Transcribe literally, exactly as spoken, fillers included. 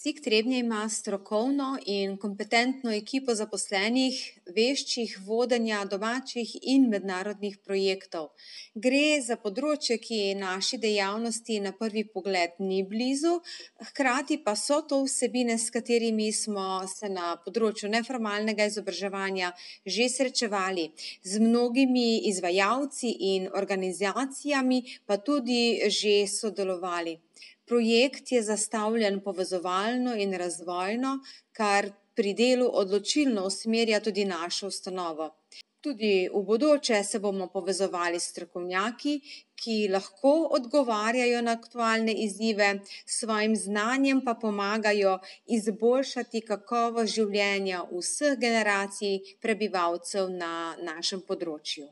SIG Trebnje ima strokovno in kompetentno ekipo zaposlenih, veščih vodenja domačih in mednarodnih projektov. Gre za področje, ki naši dejavnosti na prvi pogled ni blizu, hkrati pa so to vsebine, s katerimi smo se na področju neformalnega izobraževanja že srečevali. Z mnogimi izvajalci in organizacijami pa tudi že sodelovali. Projekt je zastavljen povezovalno in razvojno, kar pri delu odločilno usmerja tudi našo ustanovo. Tudi v bodoče se bomo povezovali s strokovnjaki, ki lahko odgovarjajo na aktualne izzive, s svojim znanjem pa pomagajo izboljšati kakovost življenja vseh generacij prebivalcev na našem področju.